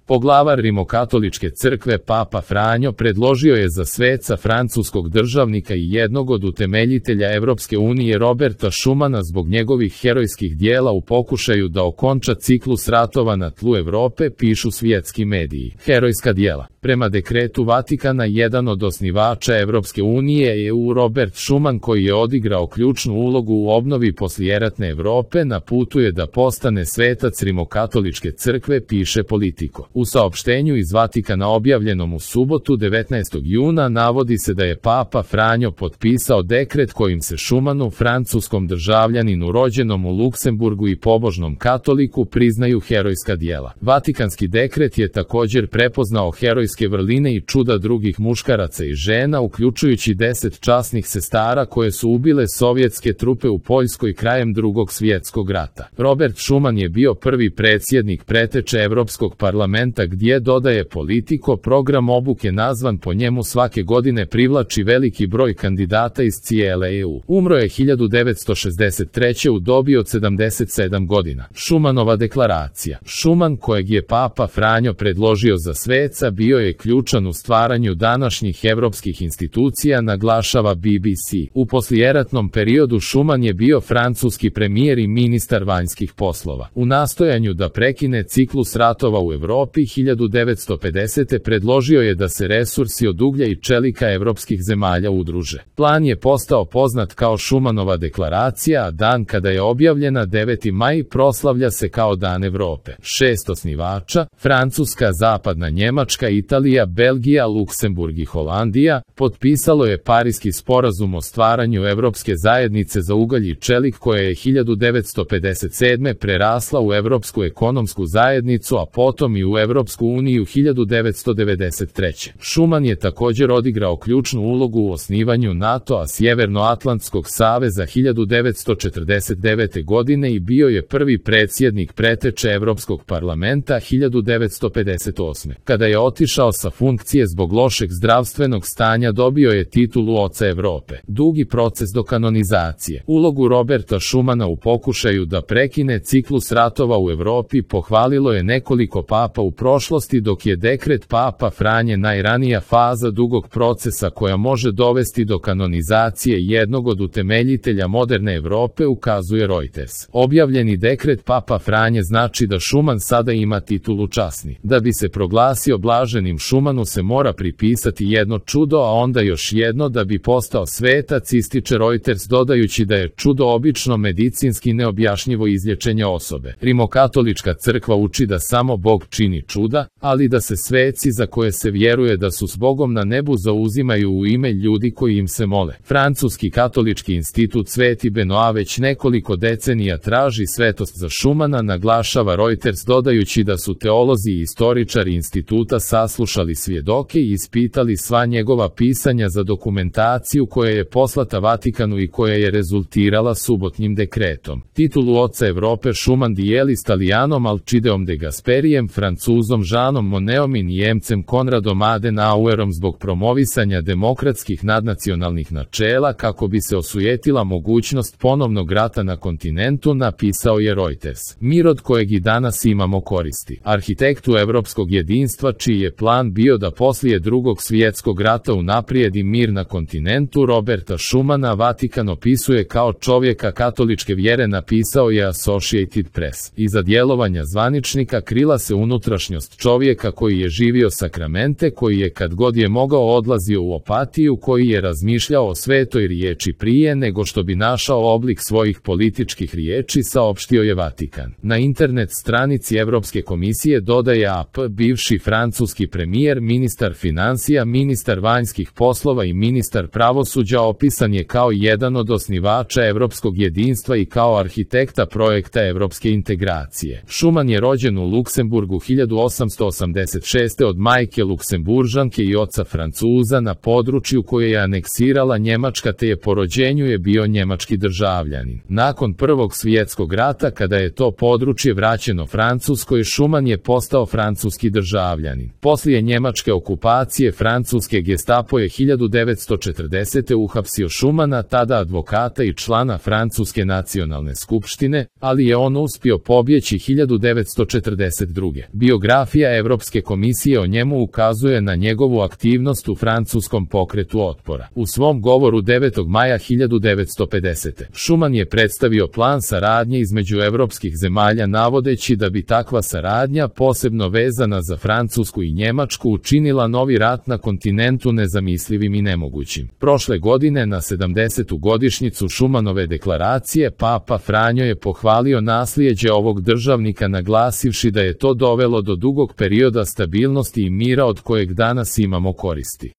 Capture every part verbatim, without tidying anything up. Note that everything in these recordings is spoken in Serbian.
Poglavar Rimokatoličke crkve Papa Franjo predložio je za sveca francuskog državnika i jednog od utemeljitelja Evropske unije Roberta Schumana zbog njegovih herojskih dijela u pokušaju da okonča ciklus ratova na tlu Evrope, pišu svjetski mediji. Herojska dijela. Prema dekretu Vatikana, jedan od osnivača Evropske unije E U Robert Schuman, koji je odigrao ključnu ulogu u obnovi poslijeratne Evrope, na putu je da postane svetac Rimokatoličke crkve, piše Politico. U saopštenju iz Vatikana objavljenom u subotu devetnaestog juna navodi se da je Papa Franjo potpisao dekret kojim se Schumanu, francuskom državljaninu rođenom u Luksemburgu i pobožnom katoliku, priznaju herojska dijela. Vatikanski dekret je također prepoznao herojske vrline i čuda drugih muškaraca i žena, uključujući deset časnih sestara koje su ubile sovjetske trupe u Poljskoj krajem Drugog svjetskog rata. Robert Schuman je bio prvi predsjednik preteče Evropskog parlamenta, gdje, dodaje Politico, program obuke nazvan po njemu svake godine privlači veliki broj kandidata iz cijele E U. Umro je hiljadu devetsto šezdeset treće u dobi od sedamdeset sedam godina. Schumanova deklaracija. Schuman, kojeg je Papa Franjo predložio za sveca, bio je ključan u stvaranju današnjih evropskih institucija, naglašava B B C. U poslijeratnom periodu Schuman je bio francuski premijer i ministar vanjskih poslova. U nastojanju da prekine ciklus ratova u Evropi hiljadu devetsto pedesete predložio je da se resursi od uglja i čelika evropskih zemalja udruže. Plan je postao poznat kao Schumanova deklaracija, a dan kada je objavljena, deveti maj, proslavlja se kao Dan Evrope. Šest osnivača, Francuska, Zapadna Njemačka, Italija, Belgija, Luksemburg i Holandija, potpisalo je Pariski sporazum o stvaranju Evropske zajednice za ugalj i čelik, koja je hiljadu devetsto pedeset sedme prerasla u Evropsku ekonomsku zajednicu, a potom i u Evropsku uniju hiljadu devetsto devedeset treće. Schuman je također odigrao ključnu ulogu u osnivanju NATO-a, Sjevernoatlantskog saveza hiljadu devetsto četrdeset devete godine i bio je prvi predsjednik preteče Evropskog parlamenta hiljadu devetsto pedeset osme. Kada je otišao sa funkcije zbog lošeg zdravstvenog stanja, dobio je titulu Oca Evrope. Dugi proces do kanonizacije. Ulogu Roberta Schumana u pokušaju da prekine ciklus ratova u Evropi pohvalilo je nekoliko papa u prošlosti, dok je dekret Papa Franje najranija faza dugog procesa koja može dovesti do kanonizacije jednog od utemeljitelja moderne Evrope, ukazuje Reuters. Objavljeni dekret Papa Franje znači da Schuman sada ima titulu časni. Da bi se proglasio blaženim, Schumanu se mora pripisati jedno čudo, a onda još jedno da bi postao svetac, ističe Reuters, dodajući da je čudo obično medicinski neobjašnjivo izlječenje osobe. Rimokatolička crkva uči da samo Bog čini čuda, ali da se sveci za koje se vjeruje da su s Bogom na nebu zauzimaju u ime ljudi koji im se mole. Francuski katolički institut Sveti Benoa već nekoliko decenija traži svetost za Schumana, naglašava Reuters, dodajući da su teolozi i istoričari instituta saslušali svjedoke i ispitali sva njegova pisanja za dokumentaciju koja je poslata Vatikanu i koja je rezultirala subotnjim dekretom. Titulu Oca Evrope Schuman dijeli s Talijanom Alcideom de Gasperijem, Francuzom Jeanom Monnetom i Njemcem Konradom Adenauerom zbog promovisanja demokratskih nadnacionalnih načela kako bi se osujetila mogućnost ponovnog rata na kontinentu, napisao je Reuters. Mir od kojeg i danas imamo koristi. Arhitektu evropskog jedinstva, čiji je plan bio da poslije Drugog svjetskog rata unaprijedi mir na kontinentu, Roberta Schumana, Vatikan opisuje kao čovjeka katoličke vjere, napisao je Associated Press. Iza djelovanja zvaničnika krila se unutrašnjost čovjeka koji je živio sakramente, koji je kad god je mogao odlazio u apatiju, koji je razmišljao o svetoj riječi prije nego što bi našao oblik svojih političkih riječi, saopštio je Vatikan. Na internet stranici Evropske komisije, dodaje A P, bivši francuski premijer, ministar financija, ministar vanjskih poslova i ministar pravosuđa opisan je kao jedan od osnivača evropskog jedinstva i kao arhitekta projekta evropske integracije. Schuman je rođen u Luksemburgu hiljadu osamsto osamdeset šeste od majke Luksemburžanke i oca Francuza na području koje je aneksirala Njemačka, te je po rođenju je bio njemački državljanin. Nakon Prvog svjetskog rata, kada je to područje vraćeno Francuskoj, Schuman je postao francuski državljanin. Poslije njemačke okupacije francuske Gestapo je hiljadu devetsto četrdesete uhapsio Schumana, tada advokata i člana Francuske nacionalne skupštine, ali je on uspio pobjeći hiljadu devetsto četrdeset druge. Biografija Biografija Evropske komisije o njemu ukazuje na njegovu aktivnost u francuskom pokretu otpora. U svom govoru devetog maja hiljadu devetsto pedesete. Schuman je predstavio plan saradnje između evropskih zemalja navodeći da bi takva saradnja, posebno vezana za Francusku i Njemačku, učinila novi rat na kontinentu nezamislivim i nemogućim. Prošle godine na sedamdesetu godišnjicu Schumanove deklaracije Papa Franjo je pohvalio naslijeđe ovog državnika naglasivši da je to dovelo do dugog perioda stabilnosti i mira od kojeg danas imamo koristi.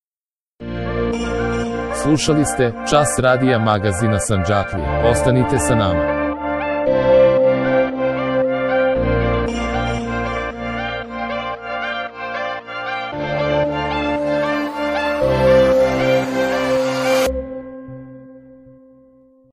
Slušali ste Čas radija magazina Sandžaklija. Ostanite sa nama.